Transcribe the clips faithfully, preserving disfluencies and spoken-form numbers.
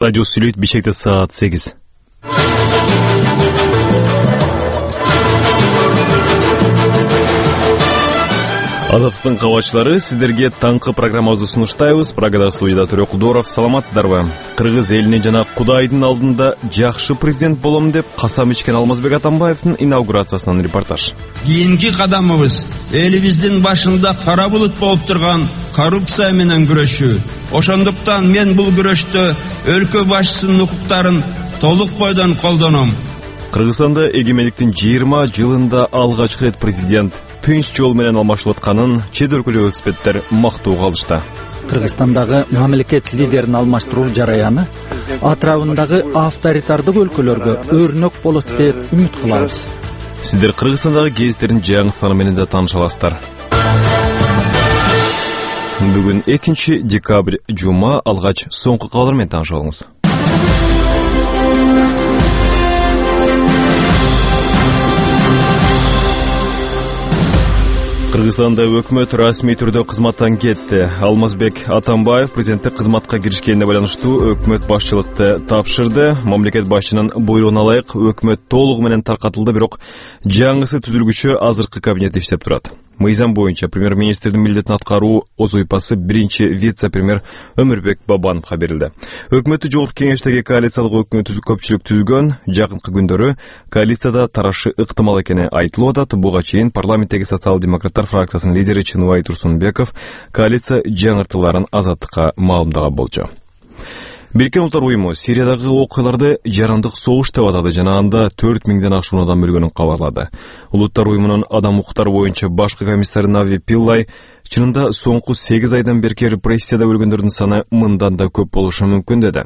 Радио сүйлөйт, Бишкекте саат сегиз. Азаттыктын кабатчылары, сиздерге таңкы программабызды сунуштайбыз. Прагада студияда Төрө Кулдоров. Саламатсыздарбы? Кыргыз элине жана Кудайдын алдында жакшы президент болом деп касам ичкен Алмазбек Атамбаевдин инаугурациясынан репортаж. Кийинки кадамыбыз элибиздин башында кара булут болуп турган коррупция менен күрөшүү. Ошондуктан мен бул күрөштө өлкө башчысынын укуктарын толук бойдон колдоном. Кыргызстанда эгемендиктин жыйырма жылында алгачкы рет президент тынч жол менен алмашылып атканын чет өлкөлүк эксперттер мактоого алышты. Кыргызстандагы мамлекет лидерин алмаштыруу жараяны атрабындагы авторитардык өлкөлөргө өрнөк болот деп үмүт кылабыз. Сиздер Кыргызстандагы гезиттердин жаңы саны менен да тааныша аласыздар. Бүгүн экинчи декабрь, жума, алгач соңку кабарлар менен таанышып алыңыз. Кыргызстанда өкмөт расмий түрдө кызматтан кетти. Алмазбек Атамбаев президенттик кызматка киришкенине байланыштуу өкмөт башчылыкты тапшырды. Мамлекет башчынын буйругуна ылайык өкмөт толугу менен таркатылды, бирок жаңысы түзүлгүчө азыркы кабинет иштеп турат. Мыйзам боюнча премьер-министрдин милдетин аткаруу озуйпасы биринчи вице-премьер Өмүрбек Бабановго берилди. Өкмөттү жогорку кеңештеги коалициялык өкмөт көпчүлүк түзгөн. Жакынкы күндөрү коалицияда тарашы ыктымал экени айтылып атат. Буга чейин парламенттеги социал-демократтар фракциясынын лидери Чыныбай Турсунбеков коалиция жаңыртууларын Азаттыкка маалымдаган болчу. Бириккен Улуттар уюму Сириядагы окуяларды жарандык согуш деп атады жана анда төрт миңден ашуун адам өлгөнүн кабарлады. Улуттар уюмунун адам укуктары боюнча башкы комиссары Нави Пиллай чынында соңку сегиз айдан берки репрессияда өлгөндөрдүн саны мындан да көп болушу мүмкүн деди.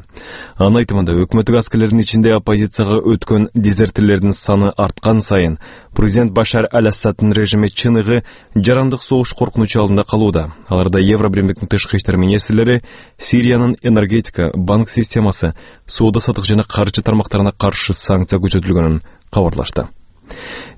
Анын айтымында өкмөттүк аскерлердин ичинде оппозицияга өткөн дезертирлердин саны арткан сайын президент Башар аль-Асаддын режими чыныгы жарандык согуш коркунучу алдында калууда. Аларда Евробиримдиктин тышкы иштер министрлери Сириянын энергетика, банк системасы, соода сатык жана каржы тармактарына каршы санкция күчөтүлгөнүн кабарлашты.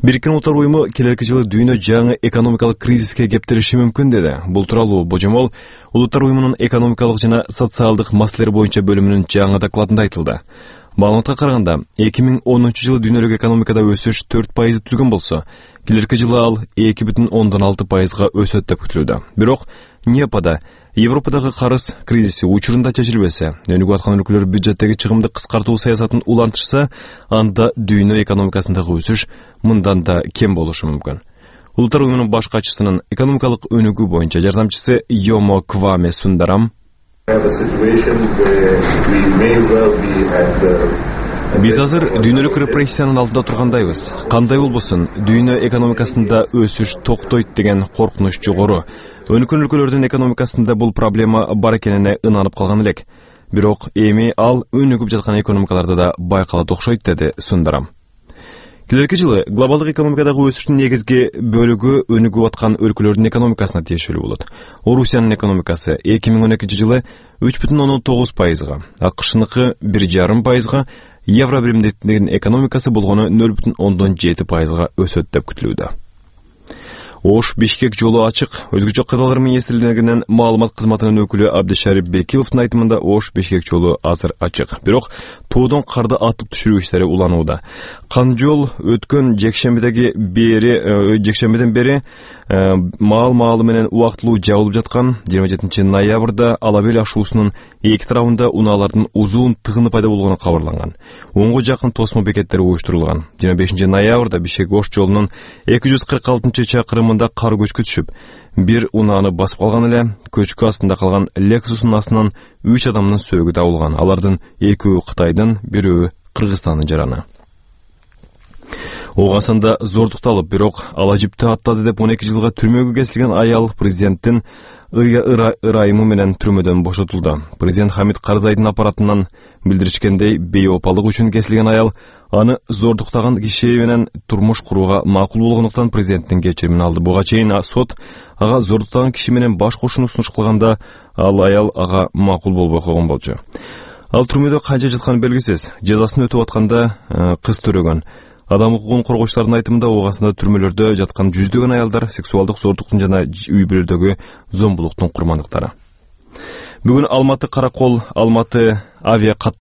Бириккен Улуттар уюму келерки жылы дүйнө жаңы экономикалык кризиске кептелиши мүмкүн деди. Бул тууралуу божомол Улуттар уюмунун экономикалык жана социалдык маселелер боюнча бөлүмүнүн жаңы докладында айтылды. Маалыматка караганда, эки миң онунчу жылы дүйнөлүк экономикада өсүш төрт пайызды түзгөн болсо, келерки жылы ал эки бүтүн ондон алты пайызга өсөт деп күтүлүүдө. Бирок НЕПада Европадагы карыз кризиси учурунда чечилбесе, өнүгүп аткан өлкөлөр бюджеттеги чыгымды кыскартуу саясатын улантышса, анда дүйнө экономикасындагы өсүш мындан да кем болушу мүмкүн. Улуттар уюмунун баш катчысынын экономикалык өнүгүү боюнча жардамчысы Йомо Кваме Сундарам биз азыр дүйнөлүк репрессиянын алдында тургандайбыз. Кандай болбосун, дүйнө экономикасында өсүш токтойт деген коркунуч жогору. Өнүккөн өлкөлөрдүн экономикасында бул проблема бар экенине ынанып калган элек. Бирок эми ал өнүгүп жаткан экономикаларда да байкалат окшойт, деди Сундарам. Келерки жылы глобалдык экономикадагы өсүштүн негизги бөлүгү өнүгүп аткан өлкөлөрдүн экономикасына тиешелүү болот. Орусиянын экономикасы эки миң он экинчи жылы үч бүтүн ондон тогуз пайызга, АКШныкы бир жарым пайызга, Евробиримдиктин экономикасы болгону нөл бүтүн ондон жети пайызга өсөт деп күтүлүүдө. Ош Бишкек жолу ачык. Өзгөчө кырлар министрлигинин маалымат кызматынын өкүлү Абдышарип Бекиловдун айтымында Ош Бишкек жолу азыр ачык. Бирок тоодон карды атып түшүрүү иштери уланууда. Кан жол өткөн жекшембидеги бери жекшембиден бери маал-маалы менен убактылуу жабылып жаткан. жыйырма жетинчи ноябрда Алабел ашуусунун эки тарабында унаалардын узун тыгыны пайда болгону кабарланган. онго жакын тосмо бекеттери уюштурулган. жыйырма бешинчи ноябрда Бишкек Ош жолунун эки жүз кырк алтынчы чакырымында кар көчкү түшүп, бир унааны басып калган эле. Көчкү астында калган Lexus унасынан үч адамдын сөөгү табылган. Алардын экөө Кытайдын, бирөө Кыргызстандын жараны. Оогасында зордукталып, бирок ала жипти аттады деп он эки жылга түрмөгө кесилген аял президенттин ырайымы менен түрмөдөн бошотулду. Президент Хамид Карзайдын аппаратынан билдиришкендей, бейопалык үчүн кесилген аял аны зордуктаган киши менен турмуш курууга макул болгондуктан президенттин кечиримин алды. Буга чейин сот ага зордуктаган киши менен баш кошууну сунуш кылганда, ал аял ага макул болбой койгон болчу. Ал түрмөдө канча жатканы белгисиз. Жазасын өтүп атканда кыз төрөгөн. Адам укугун коргоочулардын айтымында оогасында түрмөлөрдө жаткан жүздөгөн аялдар сексуалдык зордуктун жана үй бүлөдөгү зомбулуктун курмандыктары. Бүгүн Алматы Каракол, Алматы авиа